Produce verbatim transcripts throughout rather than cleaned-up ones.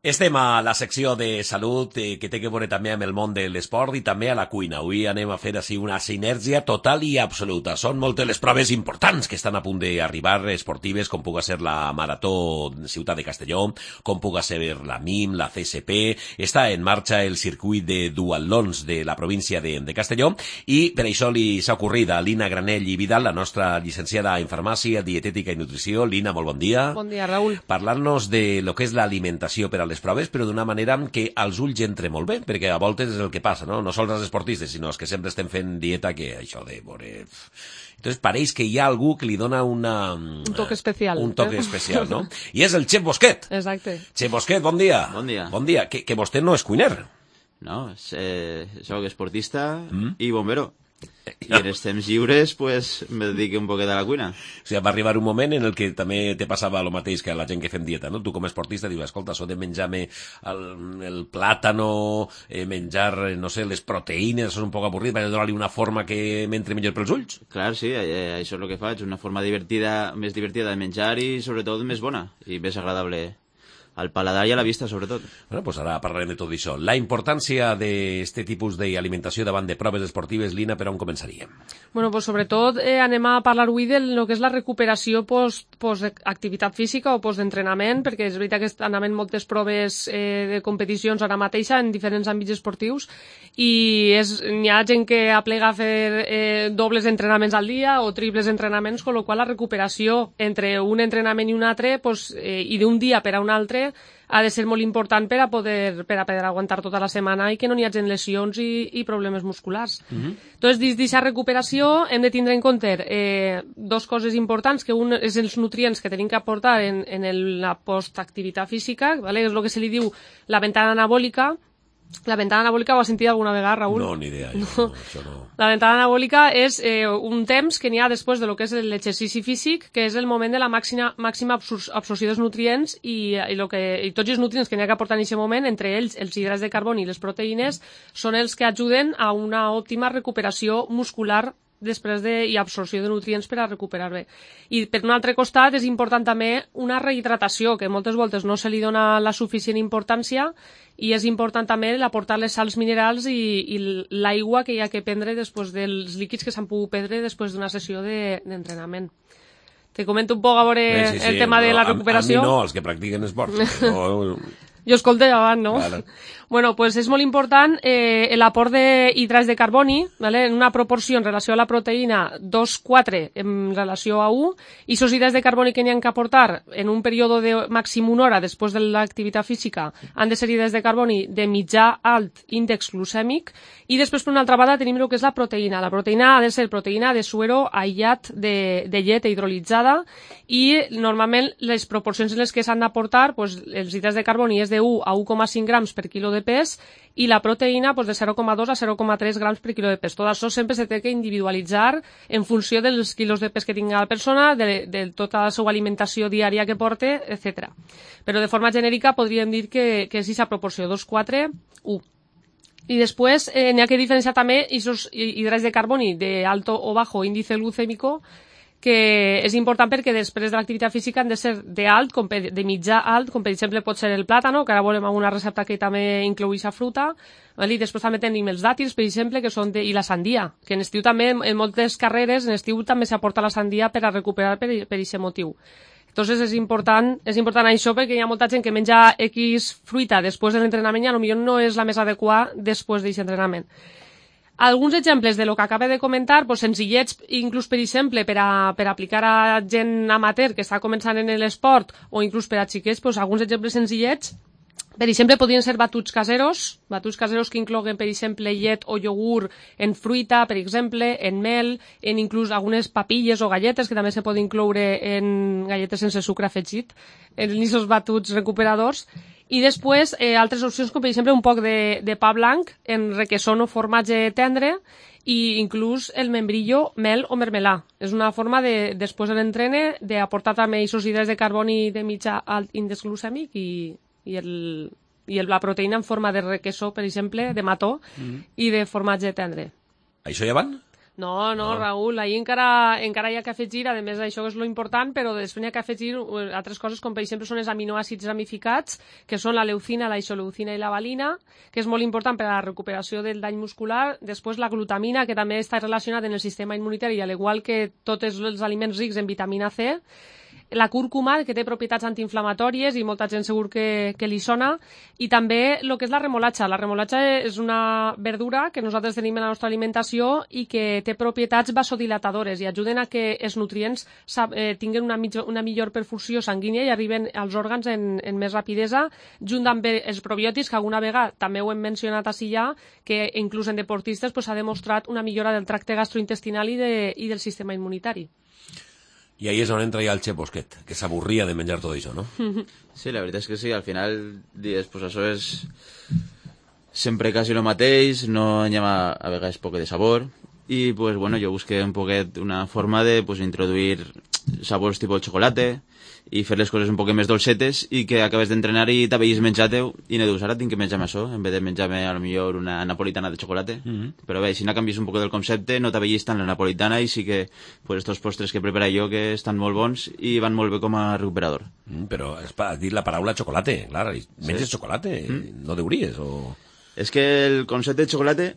Estem a la secció de salut eh, que té que veure també amb el món de l'esport i també a la cuina. Avui anem a fer així una sinergia total i absoluta. Són moltes les proves importants que estan a punt d'arribar, esportives, com puga ser la Marató Ciutat de Castelló, com puga ser la M I M, la C S P. Està en marxa el circuit de duatlons de la província de, de Castelló i per això li s'ha ocorrit a Lina Granell i Vidal, la nostra llicenciada en farmàcia, dietètica i nutrició. Lina, molt bon dia. Bon dia, Raül. Parlar-nos de lo que és l'alimentació per a les proves, però d'una manera que als ulls entre molt bé, perquè a voltes és el que passa, no? No sols els esportistes, sinó els que sempre estem fent dieta, que això de veure... Entonces pareix que hi ha algú que li dona una... Un toque especial. Un toque eh? especial, no? I és el Xef Bosquet. Exacte. Xef Bosquet, bon dia. Bon dia. Bon dia. Que, que vostè no és cuiner. No, eh, soc esportista Mm. i bombero. I en els temps lliures, pues, me dedico un poquet a la cuina. O sigui, va arribar un moment en el que també te passava el mateix que a la gent que fem dieta, no? Tu com a esportista dius, escolta, això de menjar-me el, el plàtano, eh, menjar, no sé, les proteïnes, això és un poc avorrit, vaig a donar-li una forma que m'entre millor pels ulls. Clar, sí, eh, això és el que faig, una forma divertida, més divertida de menjar i, sobretot, més bona i més agradable al paladar i a la vista, sobretot. Bueno, pues ara parlarem de tot això. La importància d'aquest tipus d'alimentació davant de proves esportives, Lina, per on començaríem? Bueno, pues sobretot eh, anem a parlar avui de lo que és la recuperació post, post activitat física o post-entrenament, perquè és veritat que estan havent moltes proves eh, de competicions ara mateixa en diferents àmbits esportius i n'hi ha gent que aplega a fer eh, dobles entrenaments al dia o triples entrenaments, con lo qual la recuperació entre un entrenament i un altre pues, eh, i d'un dia per a un altre ha de ser molt important per a poder, per a poder aguantar tota la setmana i que no n'hi hagi lesions i, i problemes musculars. Mm-hmm. Entonces, dins d'aquesta recuperació hem de tindre en compte eh, dos coses importants, que un és els nutrients que tenim que aportar en, en el, la postactivitat física, ¿vale? És el que se li diu la ventana anabòlica. La ventana anabòlica ho has sentit alguna vegada, Raül? No, ni idea. Jo, no. No, això no. La ventana anabòlica és eh, un temps que n'hi ha després de lo que és l'exercici físic, que és el moment de la màxima, màxima absorció dels nutrients i, i, lo que, i tots els nutrients que n'hi ha que aportar en aquest moment, entre ells els hidrats de carboni i les proteïnes, són els que ajuden a una òptima recuperació muscular després de, i absorció de nutrients per a recuperar bé. I per un altre costat és important també una rehidratació, que moltes voltes no se li dona la suficient importància i és important també aportar les sals minerals i, i l'aigua que hi ha que prendre després dels líquids que s'han pogut prendre després d'una sessió d'entrenament. De, Te comento un poc a veure Bé, sí, sí, el tema no, de la recuperació. A, a mi no, els que practiquen esport. No, jo escolto abans, no? Vale. Bueno, pues és molt important eh, l'aport d'hidrats de carboni, ¿vale? En una proporció en relació a la proteïna dos coma quatre en relació a un, i aquests hidrats de carboni que n'hi ha que aportar en un període de màxim una hora després de l'activitat física han de ser hidrats de carboni de mitjà alt índex glucèmic, i després per una altra banda tenim el que és la proteïna. La proteïna ha de ser proteïna de suero aïllat de, de llet hidrolitzada i normalment les proporcions en les que s'han d'aportar, pues, els hidrats de carboni és de un a un coma cinc grams per quilo de pes i la proteïna pues, de zero coma dos a zero coma tres grams per quilo de pes. Tot això sempre se té que individualitzar en funció dels quilos de pes que tingui la persona, de, de tota la seva alimentació diària que porte, etcètera. Però de forma genèrica podríem dir que, que és aquesta proporció dos coma quatre a un. I després eh, n'hi ha que diferenciar també aquests hidrats de carboni de alto o bajo índice glucèmico, que és important perquè després de l'activitat física han de ser de alt, com per, de mitjà alt, com per exemple pot ser el plàtano, que ara veurem una recepta que també inclou aquesta fruta, i després també tenim els dàtils, per exemple, que són de, i la sandia, que en estiu també, en moltes carreres, en estiu també s'aporta la sandia per a recuperar per aquest motiu. Entonces és important, és important això perquè hi ha molta gent que menja X fruita després de l'entrenament i potser no és la més adequada després d'aquest entrenament. Alguns exemples de lo que acaba de comentar, pues, senzillets, inclús per exemple, per, a, per aplicar a gent amateur que està començant en l'esport o inclús per a xiquets, pues, alguns exemples senzillets, per exemple, podrien ser batuts caseros, batuts caseros que incloguen, per exemple, llet o iogurt en fruita, per exemple, en mel, en inclús algunes papilles o galletes, que també se poden incloure en galletes sense sucre afegit, en aquests batuts recuperadors. I després, eh, altres opcions, com per exemple un poc de, de pa blanc en requesón o formatge tendre i inclús el membrillo, mel o mermelà. És una forma, de, després de l'entrene, d'aportar també aquests hidrats de carboni de mitjà alt índex glucèmic i, i, el, i el, la proteïna en forma de requesó, per exemple, de mató, mm-hmm. i de formatge tendre. Això ja van? No, no, No. Raül, ahir encara, encara hi ha que afegir, a més això és lo important, però després hi ha que afegir eh, altres coses com per exemple són els aminoàcids ramificats, que són la leucina, la isoleucina i la valina, que és molt important per a la recuperació del dany muscular. Després la glutamina, que també està relacionada en el sistema immunitari, al igual que tots els aliments rics en vitamina C. La cúrcuma, que té propietats antiinflamatòries i molta gent segur que, que li sona, i també el que és la remolatxa. La remolatxa és una verdura que nosaltres tenim en la nostra alimentació i que té propietats vasodilatadores i ajuden a que els nutrients eh, tinguin una, mitjo, una millor perfusió sanguínia i arriben als òrgans en, en més rapidesa, junt amb els probiòtics, que alguna vegada també ho hem mencionat així ja, que inclús en deportistes s'ha pues, demostrat una millora del tracte gastrointestinal i, de, i del sistema immunitari. I ahí és on entra ja el Xep Bosquet, que s'avorria de menjar tot això, no? Sí, la veritat és que sí, al final dius, pues això és sempre quasi el mateix, no hi ha a vegades poc de sabor, i pues bueno, jo busqué un poquet una forma de pues, introduir sabors tipus xocolate i fer les coses un poquet més dolcetes i que acabes d'entrenar i t'haveis menjat-ho i no dius, ara tinc que menjar-me això en vez de menjar-me a lo millor una napolitana de xocolate. Mm -hmm. Però bé, si no canvies un poc del concepte no t'haveis tant la napolitana i sí que pues, estos postres que prepara jo que estan molt bons i van molt bé com a recuperador. Mm, però has dit la paraula xocolate, clar, menges sí. xocolate, mm. no deuries o... És que el concepte de xocolate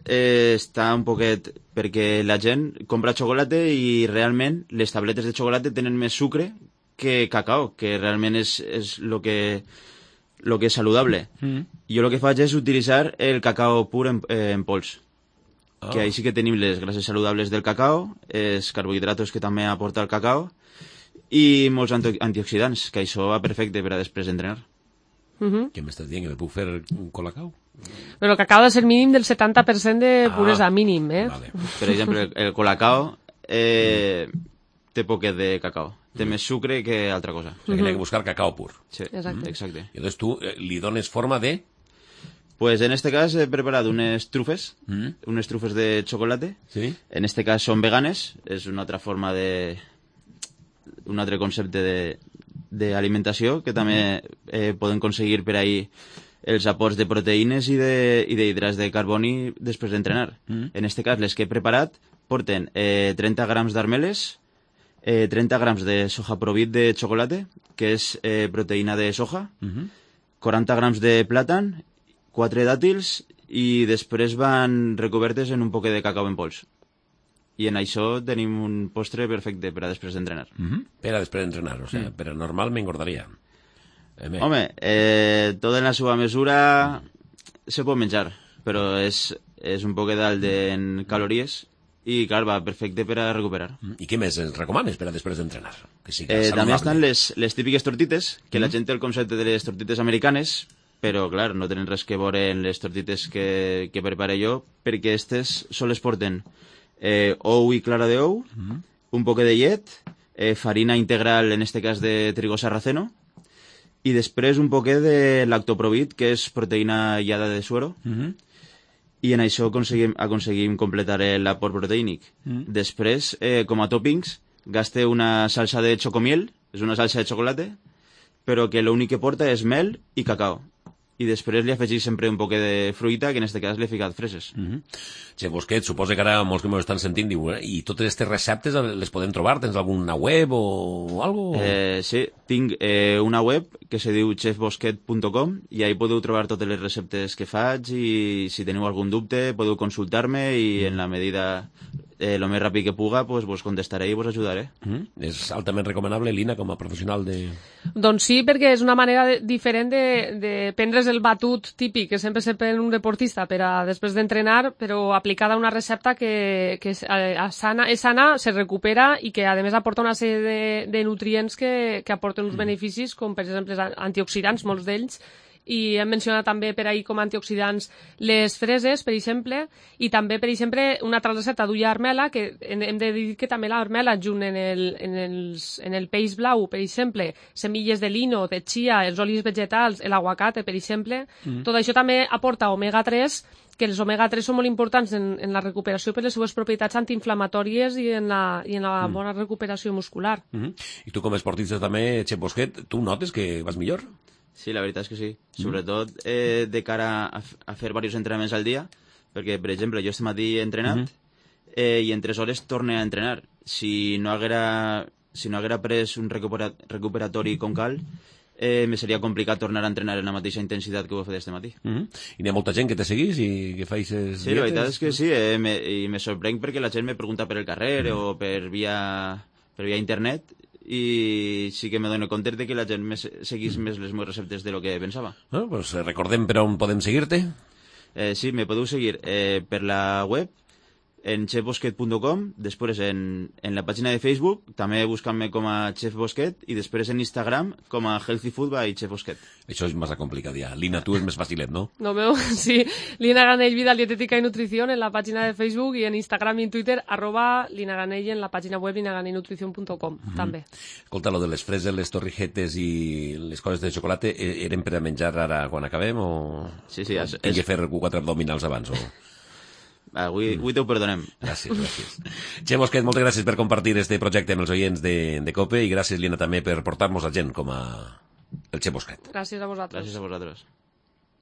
eh, està un poquet perquè la gent compra xocolate i realment les tabletes de xocolate tenen més sucre que cacao, que realment és, és lo que, lo que és saludable. Mm. Jo el que faig és utilitzar el cacao pur en, eh, en pols. Oh. Que ahí sí que tenim les grasses saludables del cacao, els carbohidratos que també aporta el cacao i molts anti antioxidants, que això va perfecte per a després d'entrenar. Uh-huh. Què m'estàs dient? Que me puc fer un colacao? Però el cacao ha de ser mínim del setanta per cent de puresa, ah, mínim, eh? Vale. Per exemple, el, el colacao eh, té poquet de cacao. Té més sucre que altra cosa. O sigui, que n'hi ha que buscar cacao pur. Sí, exacte. exacte. I llavors tu eh, li dones forma de... Pues en este cas he preparat unes trufes, mm. unes trufes de chocolate. Sí. En este cas són veganes, és una altra forma de... un altre concepte de d'alimentació que també eh, poden aconseguir per ahí els aports de proteïnes i d'hidrats de, de carboni després d'entrenar. Mm. En este cas, les que he preparat porten eh, trenta grams d'armeles, eh, trenta grams de soja provit de xocolate, que és eh, proteïna de soja, mm-hmm. quaranta grams de plàtan, quatre dàtils i després van recobertes en un poquet de cacau en pols. I en això tenim un postre perfecte per a després d'entrenar. Mm-hmm. Per a després d'entrenar, o sigui, mm. per a normal m'engordaria. Eh, Home, eh, tot en la seva mesura se pot menjar, però és, és un poquet d'alt en calories i, clar, va perfecte per a recuperar. Mm. I què més ens recomanes per a després d'entrenar? Que sigui eh, també estan les, les típiques tortites, que mm. la gent té el concepte de les tortites americanes, però, clar, no tenen res que veure en les tortites que, que prepare jo, perquè aquestes sols porten eh, ou i clara d'ou, mm. un poquet de llet, eh, farina integral, en este cas de trigo sarraceno, i després un poquet de lactoprovit, que és proteïna aïllada de suero, mm-hmm. i en això aconseguim, aconseguim completar l'aport proteínic. Mm. Després, eh, com a toppings, gaste una salsa de xocomiel, és una salsa de xocolate, però que l'únic que porta és mel i cacao. I després li afegís sempre un poc de fruita, que en aquest cas l'he ficat freses. Mm-hmm. Che, Bosquet, suposa que ara molts que m'ho estan sentint diu, eh? I totes aquestes receptes les podem trobar? Tens alguna web o algo? Eh, sí, tinc eh, una web que se diu chef bosquet punt com i ahí podeu trobar totes les receptes que faig i si teniu algun dubte podeu consultar-me i en la medida eh, lo més ràpid que puga pues, vos contestaré i vos ajudaré. Mm-hmm. És altament recomanable, Lina, com a professional de... Doncs sí, perquè és una manera de, diferent de, de prendre's el batut típic que sempre se pren un deportista per a després d'entrenar, però aplicada a una recepta que, que és, eh, sana, és sana, se recupera i que a més aporta una sèrie de, de nutrients que, que aporten uns mm. beneficis com per exemple antioxidants, molts d'ells, i hem mencionat també per ahir com a antioxidants les freses, per exemple, i també, per exemple, una altra recepta d'ulla armela, que hem de dir que també l'armela junt en el, en, els, en el peix blau, per exemple, semilles de lino, de chia, els olis vegetals, l'aguacate, per exemple, mm. tot això també aporta omega tres, que els omega tres són molt importants en, en la recuperació per les seves propietats antiinflamatòries i en la, i en la mm. bona recuperació muscular. Mm-hmm. I tu com a esportista també, Xep Bosquet, tu notes que vas millor? Sí, la veritat és que sí. Mm. Sobretot eh, de cara a, a fer diversos entrenaments al dia, perquè, per exemple, jo este matí he entrenat, mm -hmm. eh, i en tres hores torne a entrenar. Si no haguera, si no haguera pres un recupera, recuperatori com cal, eh, me seria complicat tornar a entrenar en la mateixa intensitat que ho he fet este matí. Mm -hmm. I n'hi ha molta gent que te seguís i que faixes sí, dietes? La veritat és que sí, eh, me, i me sorprenc perquè la gent me pregunta per el carrer mm. o per via, per via internet, i sí que me dono compte de que la gent me seguís mm. més les meves receptes de lo que pensava. Bueno, pues recordem per on podem seguir-te. Eh, sí, me podeu seguir eh, per la web, en chef bosquet punt com, després en, en la pàgina de Facebook, també buscant-me com a Chef Bosquet, i després en Instagram com a Healthy Food by Chef Bosquet. Això és massa complicat ja. Lina, tu és més facilet, no? No veu, sí. Lina Granell, Vida Dietética y Nutrición en la pàgina de Facebook i en Instagram i en Twitter, arroba Lina Granell en la pàgina web linaganellnutrición punt com, mm -hmm. també. Escolta, lo de les freses, les torrijetes i les coses de xocolata eren per a menjar ara quan acabem o... Sí, sí. És, Tinc que fer quatre abdominals abans o... Avui, avui t'ho perdonem. Gràcies, gràcies. Che Bosquet, moltes gràcies per compartir este projecte amb els oients de, de COPE i gràcies, Lina, també per portar-nos a gent com a el Che Bosquet. Gràcies a vosaltres. Gràcies a vosaltres.